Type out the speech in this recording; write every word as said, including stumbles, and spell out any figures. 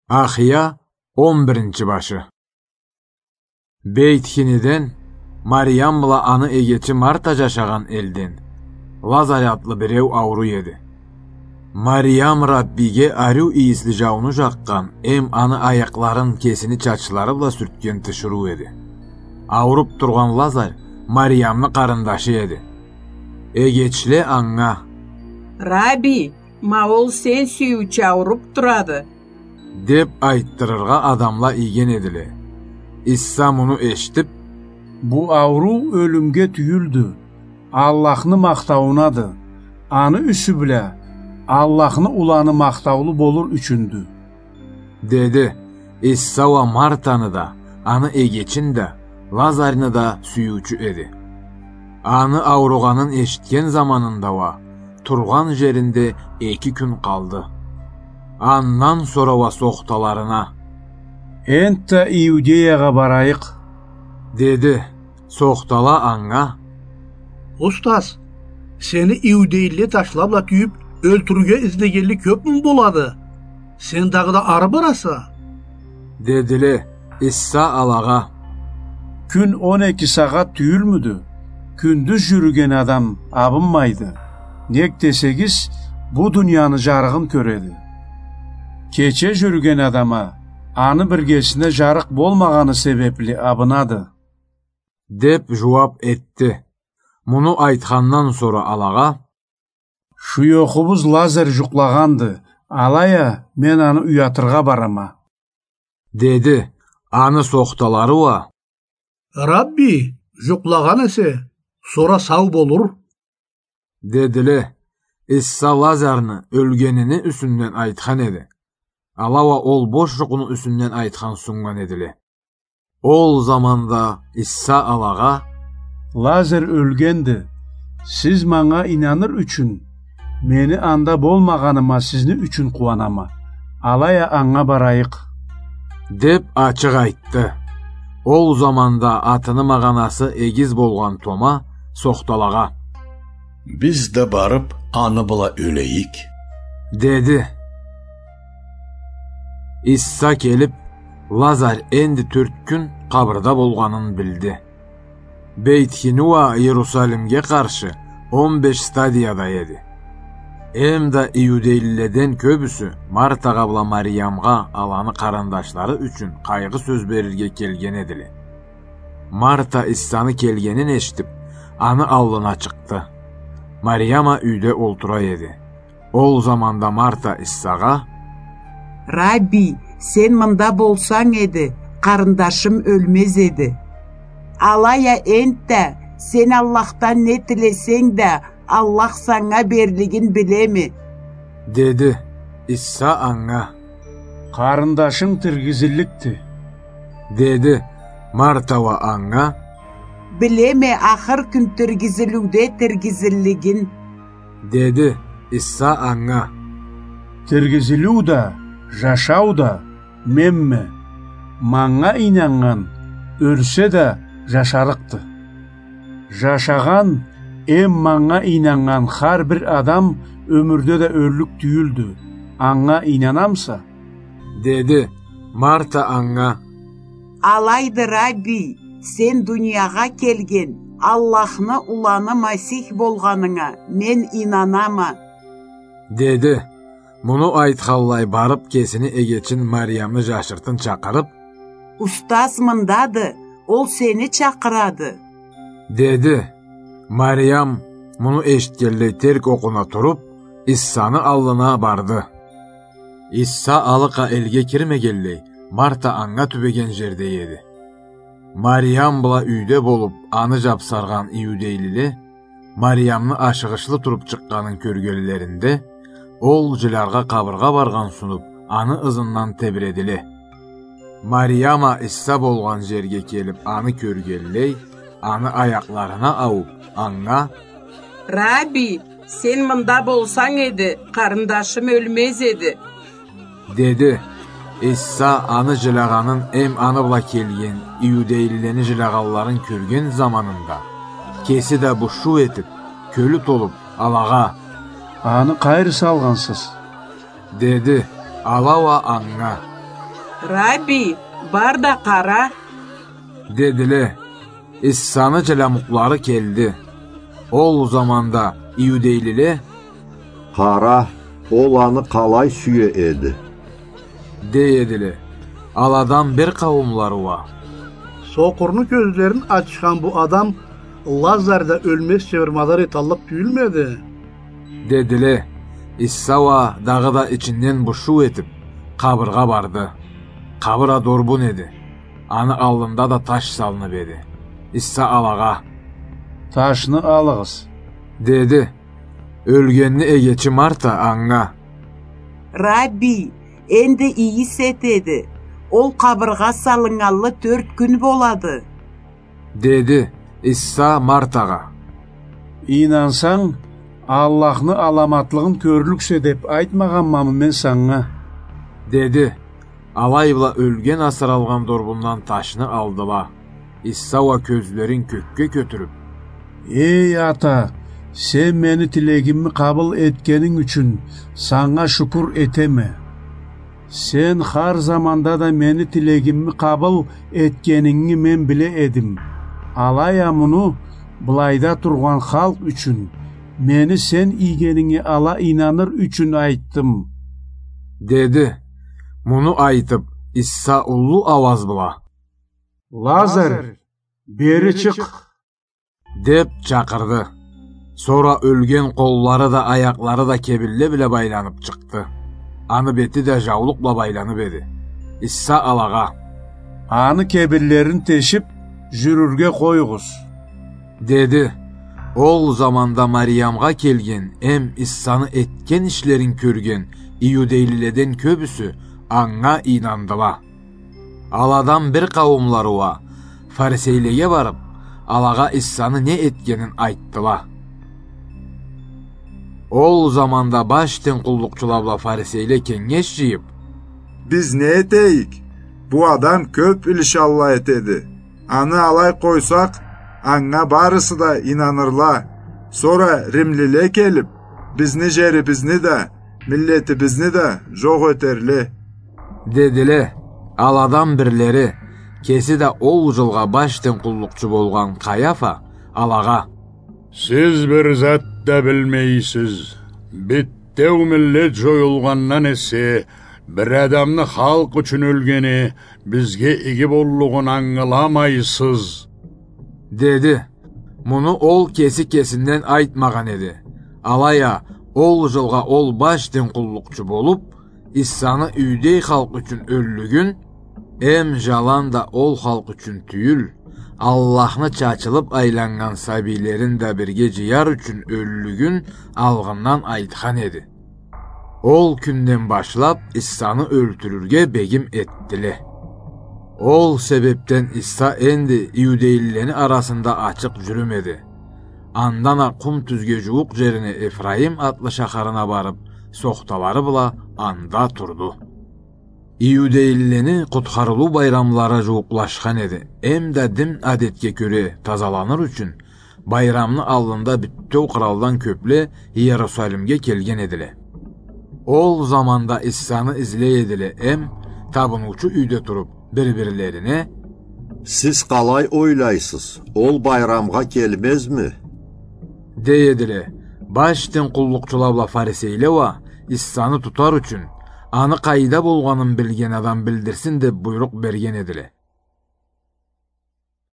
Ахия, он биринчи башы. Бейт-Хиниден Мариям бла аны эгечи Марта жашагъан элден Лазарь атлы биреу ауруй эди. Мариям Раббиге ариу ийисли жауну жакъгъан эм аны аякъларын кесини чачлары бла сюртген тиширыу эди. Ауруп тургъан Лазарь Мариямны къарындашы эди. Эгечле анга: «Рабби, ма ол сен сюйюучю ауруп турады», — деп айтдырыргъа адамла ийген эдиле. Иса муну эшитип: «Бу ауруу ёлюмге тюйюлдю, Аллахны махтауунады. Аны юсю бла Аллахны уланы махтаулу болур ючюндю», — деди. Иса уа Мартаны да, аны эгечин да, Лазарьны да сюйюучю эди. Аны ауругъанын эшитген заманында уа тургъан жеринде эки кюн къалды. Андан сора уа сохталарына: «Энтда Иудеягъа барайыкъ», — деди. Сохтала анга: «Устаз, сени иудейлиле ташла бла тюйюп, ёлтюрюрге излегенли кёпмю болады? Сен дагъыда ары бараса?» — дедиле. Иса алагъа: «Кюн он эки сагъат тюйюлмюдю? Кюндюз жюрюген адам абынмайды. Нек десегиз, бу дунияны жарыгъын кёреди. Кече жюрюген адам а аны биргесине жарыкъ болмагъаны себепли абынады», — деп жууап этди. Муну айтхандан сора алагъа: «Шуёхубуз Лазарь жукълагъанды, алай а мен аны уятыргъа барама», — деди. Аны сохталары уа: «Рабби, жукълагъан эсе, сора сау болур», — дедиле. Иса Лазарьны ёлгенини юсюнден айтхан эди. Ала уа ол бош жукъну юсюнден айтхан суннган эдиле. Ол заманда Иса алагъа: «Лазарь ёлгенди. Сиз манга ийнаныр ючюн, мени анда болмагъаныма сизни ючюн къууанама. Алай а анга барайыкъ», — деп ачыкъ айтды. Ол заманда атыны магъанасы Эгиз болгъан Тома сохталагъа: «Биз да барып, аны бла ёлейик», — деди. Иса келип, Лазарь энди тёрт кюн къабырда болгъанын билди. Бейт-Хини уа Иерусалимге къаршы он беш стадияда эди. Эм да иудейлиледен кёбюсю Мартагъа бла Мариямгъа аланы къарындашлары ючюн къайгъы сёз берирге келген эдиле. Марта Исаны келгенин эшитип, аны аллына чыкъды. Мариям а юйде олтура эди. Ол заманда Марта Исагъа: «Рабби, сен мында болсанг эди, къарындашым ёлмез эди. Алай а энтда, сен Аллахдан не тилесенг да, Аллах санга берлигин билеме», — деди. Иса анга: «Къарындашынг тиргизилликди», — деди. Марта уа анга: «Билеме ахыр кюн тиргизилиуде тиргизиллигин», — деди. Иса анга: «Тиргизилиу да, жашау да менме. Манга ийнаннган ёлсе да жашарыкъды. Жашагъан эм манга ийнаннган хар бир адам ёмюрде да ёллюк тюйюлдю. Анга ийнанамыса?» — деди. Марта анга: «Алайды, Рабби, сен дуниягъа келген Аллахны уланы Масих болгъанынга мен ийнанама», — деди. Муну айтханлай барып, кесини эгечин Мариямны жашыртын чакъырып: «Устаз мындады, ол сени чакъырады», — деди. Мариям муну эшитгенлей терк окъуна туруп, Исаны аллына барды. Иса алыкъа элге кирмегенлей, Марта анга тюбеген жерде эди. Мариям бла юйде болуп, аны жапсаргъан иудейлиле Мариямны ашыгъышлы туруп чыкъгъанын кёргенлеринде, ол жиляргъа къабыргъа баргъан сунуп, аны ызындан тебиредиле. Мариям а Иса болгъан жерге келип, аны кёргенлей, аны аякъларына ауп, анга: «Рабби, сен мында болсанг эди, къарындашым ёлмез эди», — деди. Иса аны жилягъанын эм аны бла келген иудейлилени жилягъанларын кёрген заманында, кеси да бушуу этип, кёлю толуп, алагъа: «Аны къайры салгъансыз?» — деди. Ала уа анга: «Рабби, бар да къара», — дедиле. Иссаны джыламукълары келди. Ол заманда иудейлиле: «Къара, ол аны къалай сюе эди», — дей эдиле. Аладан бир къауумлары уа: «Сокъурну кёзлерин ачхан бу адам Лазарь да ёлмезча бир мадар эталлыкъ тюйюлмеди?» — дедиле. Исса уа дагъыда ичинден бушуу этип, къабыргъа барды. Къабыр а дорбун эди. Аны аллында да таш салынып эди. Исса алагъа: «Ташны алыгъыз», — деди. Ёлгенни эгечи Марта анга: «Рабби, энди ийис этеди. Ол къабыргъа салыннганлы тёрт кюн болады», — деди. Исса Мартагъа: «Ийнансанг, Аллахны аламатлыгъын кёрлюксе деп айтмагъанмамы мен санга?» — деди. Алай бла ёлген асыралгъан дорбундан ташны алдыла. Исса уа кёзлерин кёкге кётюрюп: «Эй Ата, сен мени тилегимни къабыл этгенинг ючюн санга шукур этеме. Сен хар заманда да мени тилегимни къабыл этгенингни мен биле эдим. Алай а муну былайда тургъан халкъ ючюн, мени сен ийгенинге ала ийнаныр ючюн айтдым», — деди. Муну айтып, Исса уллу ауаз бла: «Лазарь, бери чыкъ!» — деп чакъырды. Сора ёлген къоллары да, аякълары да кебинле бла байланып чыкъды. Аны бети да жаулукъ бла байланып эди. Исса алагъа: «Аны кебинлерин тешип, жюрюрге къоюгъуз», — деди. Ол заманда Мариямгъа келген эм Иссаны этген ишлерин кёрген иудейлиледен кёбюсю анга ийнандыла. Аладан бир къауумлары уа фарисейлеге барып, алагъа Иссаны не этгенин айтдыла. Ол заманда баш дин къуллукъчула бла фарисейле кенгеш жыйып: «Биз не этейик? Бу адам кёп илишалла этеди. Аны алай къойсакъ, анга барысы да ийнанырла. Сора римлиле келип, бизни жерибизни да, миллетибизни да жокъ этерле», — дедиле. Аладан бирлери, кеси да ол жылгъа баш дин къуллукъчу болгъан Къаяфа, алагъа: «Сиз бир зат да билмейсиз. Битеу миллет жоюлгъандан эсе, бир адамны халкъ ючюн ёлгени бизге иги боллугъун ангыламайсыз», — деди. Муну ол кеси кесинден айтмагъан эди. Алай а ол жылгъа ол баш дин къуллукъчу болуп, Иссаны иудей халкъ ючюн ёллюгюн, эм жаланда ол халкъ ючюн тюйюл, Аллахны чачылып айланнган сабийлерин да бирге жыяр ючюн ёллюгюн алгъындан айтхан эди. Ол кюнден башлап Иссаны ёлтюрюрге бегим этдиле. Ол себепден Исса энди иудейлилени арасында ачыкъ жюрюмеди. Андан а къум тюзге жууукъ жерине Ефраим атлы шахарына барып, сохталары бла анда турду. Иудейлилени къутхарылыу байрамлары жууукълашхан эди, эм да дин адетге кёре тазаланыр ючюн, байрамны аллында бютеу къралдан кёпле Иерусалимге келген эдиле. Ол заманда Иссаны излей эдиле эм, табыныучу юйде туруп, бир-бирлерине: «Сиз къалай ойлайсыз, ол байрамгъа келмезми?» — дей эдиле. Баш дин къуллукъчула бла фарисейле уа Иссаны тутар ючюн, аны къайда болгъанын билген адам билдирсин деп буйрукъ берген эдиле.